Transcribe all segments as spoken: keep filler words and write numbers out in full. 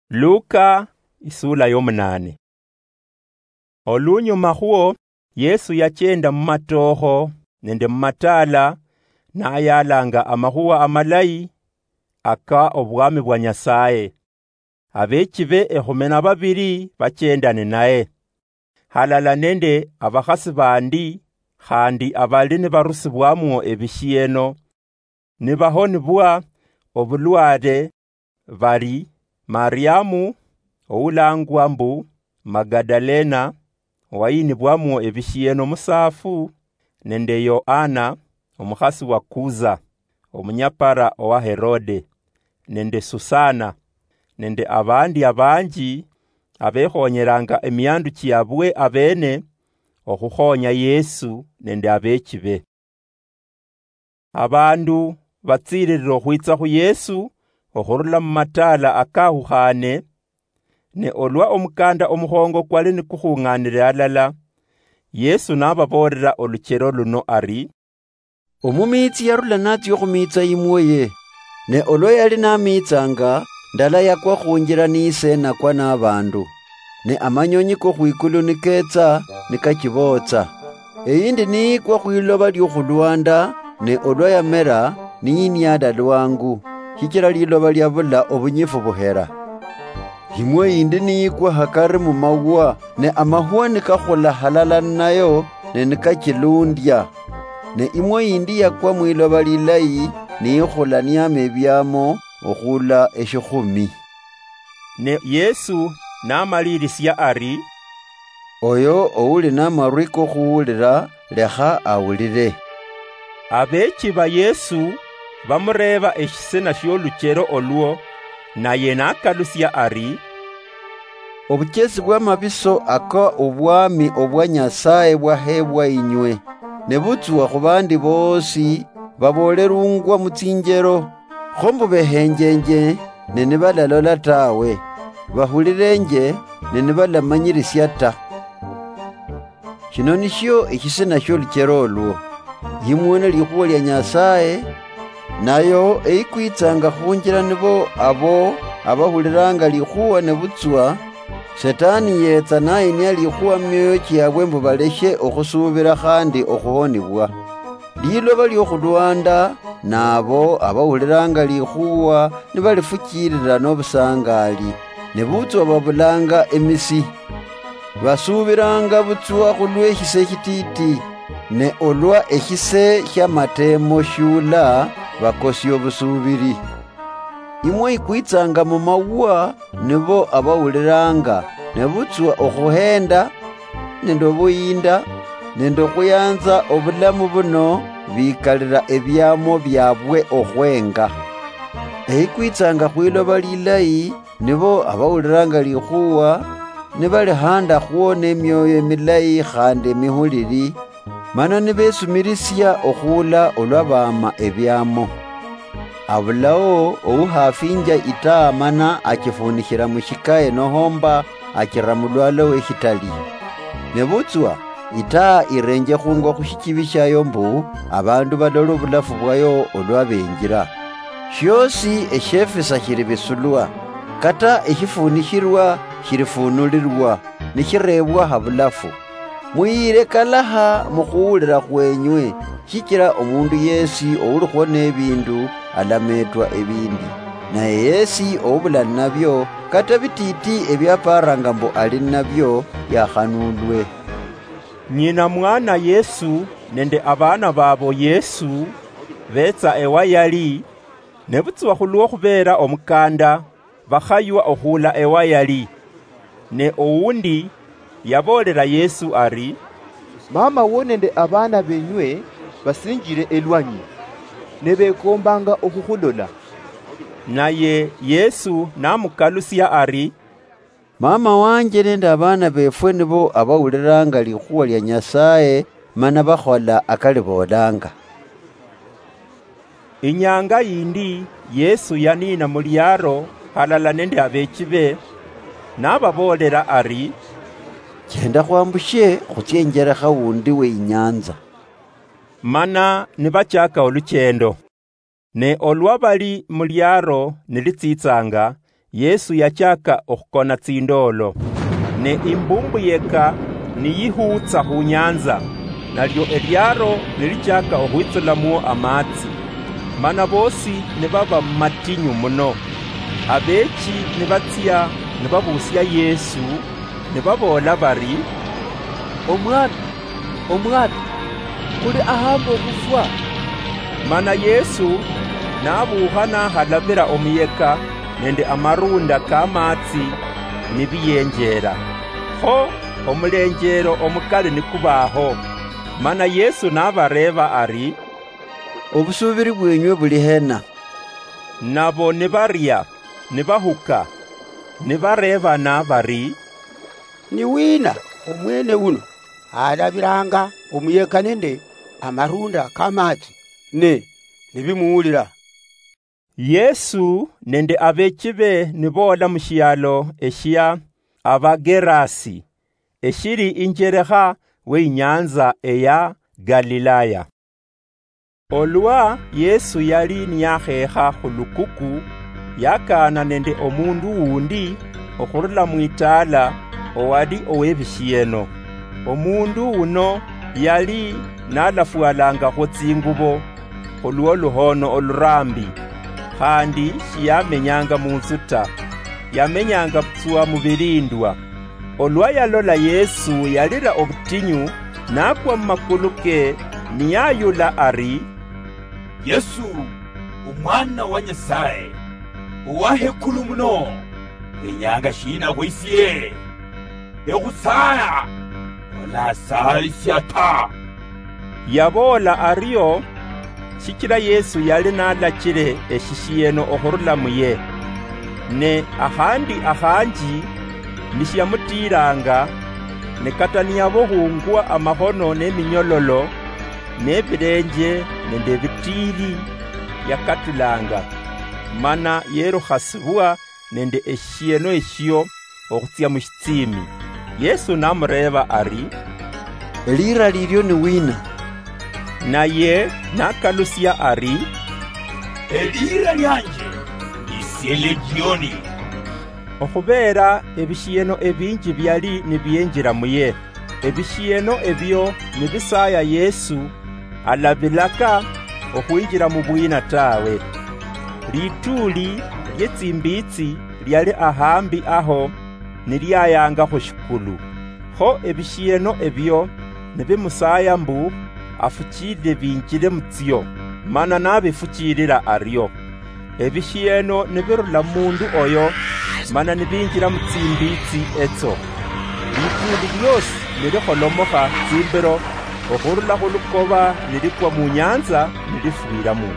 Luka, isula yomunane. Olunyuma khwo, Yesu yachenda mumatookho nende mumataala, nayaalanga amakhuwa amalayi aka obwami bwa Nyasaye. Abeechibe ekhume na babili bachenda ninaye, halala nende abakhasi bandi khandi abali nibarusibwamwo ebishieno, nibahonibwa obulwale, bali Mariamu oulangwa mbu Magadalena, owayinibwamwo ebishieno musaafu, nende Yoana, omukhasi wa Kuza, omunyapara owa Herode, nende Susana, nende abandi abanji abekhonyelanga emiandu chiabwe abene okhukhonya Yesu nende abeechibe. Abandu batsiililila okhwitsa khu Yesu okhurula mu mataala akahukhaane, ne olwa omukanda omukhongo kwali nikukhung'aanile alala, Yesu nababoolela oluchelo luno ari, "Omumiitsi yarula natsia okhumiitsa imwoye, ne olwa yali namiitsanga, ndala yakwa khunjila niiseenakwa nabandu, ne amanyonyi kokhwikulu nikeetsa nikachibootsa. Eyindi niikwa khwiloba liokhulwanda, ne olwa yamela, niyiniala lwangu, shichila liloba liabula obunyifu buhela. Imwe yindi niyikwa hakari mu mahuwa, ne amahuwa nikakhula halala ninayo, ne nikachilundia. Ne imwe yindi yakwa mwiloba lilayi, niyikhula niyama ebiamo okhula eshikhumi." Ne Yesu namalilisia ari, "Oyo ouli namarwi kokhuwulila, lekha awulile." Abeechi ba Yesu bamureeba eshisina shioluchelo olwo, naye nakalusia ari, "Obuchesi bwamabiso aka obwami obwa Nyasaye bwahebwa inywe, nebutswa khubandi boosi baboolelungwa mutsinjelo, kho mbu behenjenje ne nibalalola tawe, bahulilenje ne nibalamanyilisia ta. Shino nishio eshisina shioluchelo olwo: Yimuwona likhuwa lia Nyasaye, nayo eyikwitsanga khunjila nibo abo abahulilanga likhuwa, nebutswa Setani yetsa nayinia likhuwa mumioyo chiabwe mbu baleshe okhusubila khandi okhuhonibwa. Liloba liokhulwanda, nabo abahulilanga likhuwa nibalifuchilila nobusangali, nebutswa babulanga emisi. Basuubilanga butswa khulweshise eshititi, ne olwa eshise shiamateemo shiula, bakosia obusuubili. Imwe ikwitsanga mumawuwa, nibo abawulilanga, nebutswa okhuhenda, nende obuyinda, nende okhuyanza obulamu buno, bikalila ebiamo biabwe okhwenga. Eikwitsanga khwiloba lilayi, nibo abawulilanga likhuwa, nibali handakhwo nemioyo emilayi khandi emihulili, mana nibesumilisia okhuula olwa baama ebiamo. Abulao ouhafinja itaa mana achifunikhila mushikaye nohomba achira mulwalo weshitali. Nebutswa, itaa irenjekhungwa khushichibi shayo mbu abandu balole obulafu bwayo olwa benjila. Shiosi eshiefisa shilibisulwa, kata eshifunishilwa shilifunulilwa, nishirebwa habulafu. Muyile kalaha mukhuwulila khwenywe, shichila omundu yesi oulikhwo nebindu alametwa ebindi, naye yesi oubula ninabio, kata bititi ebiaparanga mbu ali ninabio, yakhanulwe." Nyina mwana Yesu nende abana babo Yesu betsa ewa yali, nebutswa khulwo khubeera omukanda, bakhaywa okhuula ewa yali. Ne owundi yaboolela Yesu ari, "Mama wo nende abaana benywe basinjile elwanyi, ne bekombanga okhukhulola." Naye Yesu namukalusia ari, "Mama wanje nende abaana befwe nibo abawulilanga likhuwa lia Nyasaye mana bakhola akaliboolanga." Inyanga yindi Yesu yaniina muliaro halala nende abeechibe, nababoolela ari, "Chenda khwambushe khutsie injelekha wundi we inyanza." Mana nibachaka oluchendo. Ne olwa bali muliaro nilitsitsanga, Yesu yachaka okhukona tsindoolo, ne imbumbu yeka niyihuutsa khunyanza, nalio eliaro nilichaka okhwitsulamuo amatsi, mana boosi nibaba mumatinyu muno. Abeechi nibatsia nibabuusia Yesu, nibaboola bari, "Omwami, Omwami, khuli ahambe okhufwa." Mana Yesu nabuukha nahalabira omuyeka nende amarunda kamatsi nibiyenjeera. Kho omulenjeero omukali nikubaho. Mana Yesu nabareeba ari, "Obusuubiri bwenywe buli hena?" Nabo nibaria, nibahuka, nibareebana bari, "Ni wina omwene uno alabiranga omuyeka nende amarunda kamatsi, ne nibimuwulira?" Yesu nende abeechibe niboola mushialo eshia Abagerasi, eshili injerekha weinyanza eya Galilaya. Olwa Yesu yali niyakheekha khulukuku, yakaana nende omundu wundi okhurula mwitaala owali owebishieno. Omundu wuno yali nalafwalangakho tsingubo khulwo luhoono oluraambi, khandi shiyamenyanga munzu ta, yamenyanga butswa mubilindwa. Olwa yalola Yesu, yalira obutinyu, nakwa mumakulu ke, niyayula ari, "Yesu, Omwana wa Nyasaye, Owahekulu muno, wenyanga shina khwisie? Ekhusaya, olasayisia ta." Yaboola ario, shichila Yesu yali nalachile eshishieno okhurula muye. Ne akhandi akhanji nishiamutiilanga, ne kata niyabohungwa amakhono neminyololo, nebilenje nende ebitiili, yakatulanga, mana yerukhasibwa nende eshieno eshio okhutsia mushitsiimi. Yesu namureeba ari, "Eliira lilio ni wina?" Naye nakalusia ari, "Eliira lianje isie Legioni." Okhubeera ebishieno ebinji biali nibienjira muye, ebishieno ebio nibisaya Yesu, alabilaka okhwinjira mubwina tawe. Lituuli lietsimbitsi liali ahambi aho niliayanga khushikulu. Kho ebishieno ebio nibimusaya mbu afuchilile binjile mutsio, mana nabifuchilila ario. Ebishieno nibirula mumundu oyo, mana nibinjila mutsimbitsi etso. Lituuli liosi nilikholomokha tsimbiro okhurula khulukoba nilikwa munyanza nilifwilamwo.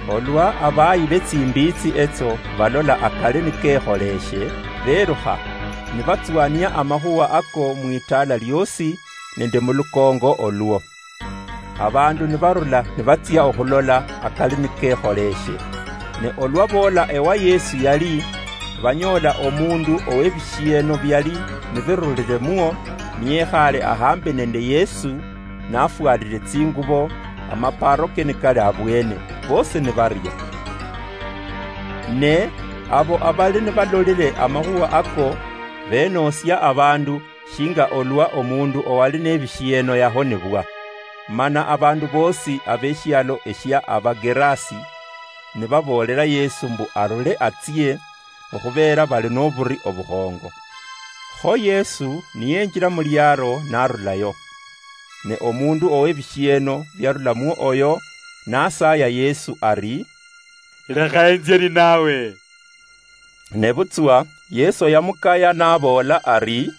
Olwa abayi betsimbitsi etso balola akali nikekholeshe, berukha, nibatswania amakhuwa ako mwitaala liosi nende mulukongo olwo. Abandu nibarula nibatsia okhulola akali nikekholeshe. Ne olwa boola ewa Yesu yali, banyoola omundu owebishieno biali nibirulile muo, niyekhaale ahambi nende Yesu, nafwalile tsingubo, amaparoke nikali abwene, bosi nibaria. Ne abo abali nibalolile amakhuwa ako, benoosia abandu, shinga olwa omundu owali nebishieno yahonebwa. Mana abandu bosi abeshialo eshia Abagerasi nibaboolela Yesu mbu arule atsie, okhubeera bali noburi obukhongo. Kho Yesu niyenjila muliaro narulayo. Ne omundu owebishieno biarulamwo oyo nasaya Yesu ari, "Lekha enzie ninawe." Nebutswa Yesu yamukaya naboola ari,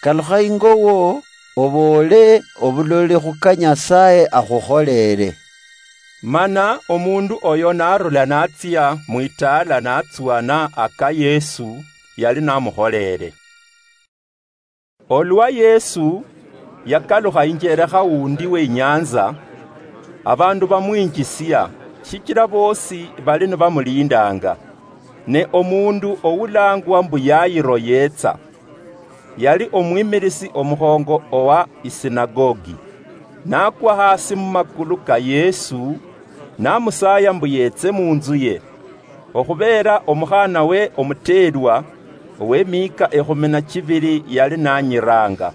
"Kalukha ingo wo, oboole obuloli khuka Nyasaye akhukholere." Mana omundu oyo narula natsia mwitaala natsuana aka Yesu yali namukholere. Olwa Yesu yakalukha injerekha wundi weinyanza, abandu bamwinjisia, shichila bosi bali nibamulindanga. Ne omundu oulangwa mbu Yairo yetsa. Yali omwimilisi omukhongo owa isinagogi, nakwa hasi mumakulu ka Yesu, namusaya mbu yetse munzuye. okhubeera omukhaanawe omuteerwa ow'emiika ekhumi na chibiri yali nanyiraanga.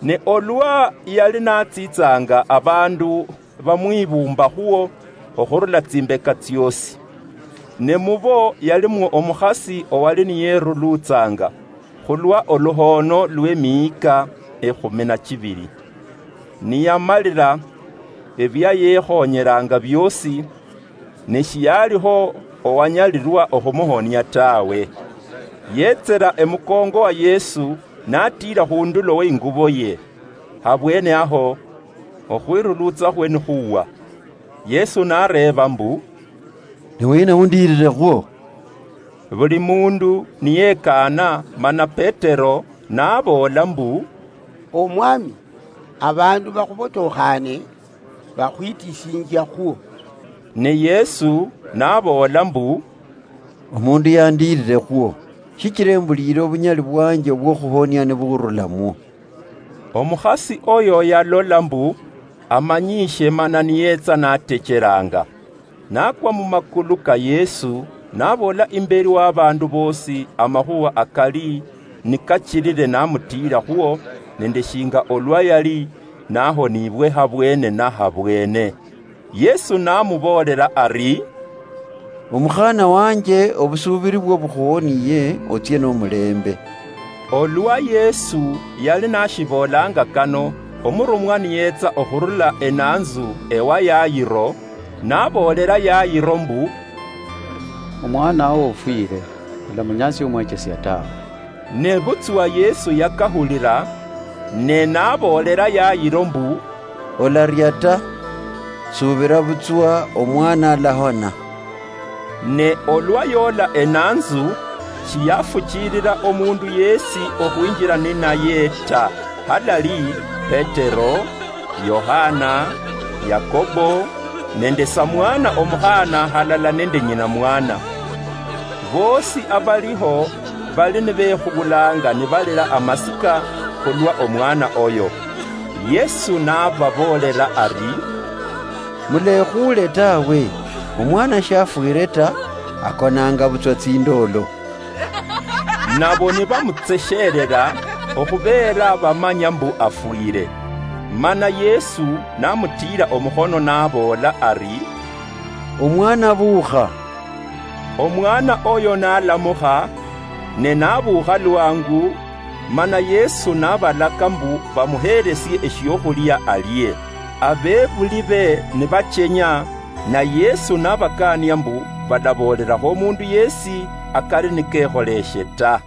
Ne olwa yali natsiitsanga, abaandu bamwibuumbakhwo okhurula tsimbeka tsyoosi. Ne mubo yalimwo omukhasi owali niyeruluutsanga khulwa oluhoono lw'emiika ekhumi na chibiri. Niyamalira ebyayekhonyeraanga byoosi, ne shiyalikho owanyalirwa okhumuhonia tawe. Yetsera emukongo wa Yesu, natiira khundulo weingubo ye. Habwene aho, okhwirulutsakhwe nikhuwa. Yesu nareeba mbu, "Ni wina undiirirekhwo?" Buli mundu niyekaana, mana Petero naboola mbu, "Omwami, abandu bakhubotokhaane bakhwitisinjiakhwo." Ne Yesu naboola mbu, "Omundu yandiirirekhwo, shichira embuliire obunyali bwanje obwokhuhonia nibukhurulamwo." Omukhasi oyo yalola mbu amanyiishe mana niyetsa natecheraanga. Nakwa mumakulu ka Yesu, naboola imberi w'abaandu boosi amakhuwa akali nikachirire namutiirakhwo, nende shinga olwa yali nahoniibwe habwene na habwene. Yesu namuboolela ari, "Omukhaana wanje, obusuubiri bwo bukhuhoniye, otsie nomulembe." Olwa Yesu yali nashiboolanga kano, omurumwa niyetsa okhurula enanzu ewa Yairo, naboolela Yairo mbu, "Omwanawo ofwire, olamunyasia omwechesia tawe." Nebutswa Yesu yakahulira, ne naboolela Yairo mbu, "Olaria ta, subira butswa, omwana alahona." Ne olwa yoola enanzu, shiyafuchilila omundu yesi okhwinjila ninaye ta, halali Petero, Yohana, Yakobo, nende samwana omukhaana halala nende nyina mwana. Boosi abaliho bali nibekhubulanga nibalira amasika khulwa omwana oyo. Yesu nababoolela ari, "Mulekhuule tawe, omwana shafwire ta, akonanga butswa tsindoolo." Nabo nibamutseshelela, okhubeera bamanya mbu afwire. Mana Yesu namutiira omukhono naboola ari, "Omwana, buukha." Omwana oyo nalamukha, ne nabuukha lwangu, mana Yesu nabalaka mbu bamuheelesie eshiokhulia alie. Abebuli be nibachenya, na Yesu nabakaania mbu balaboolelakho omundu yesi akali nikekholeshe ta.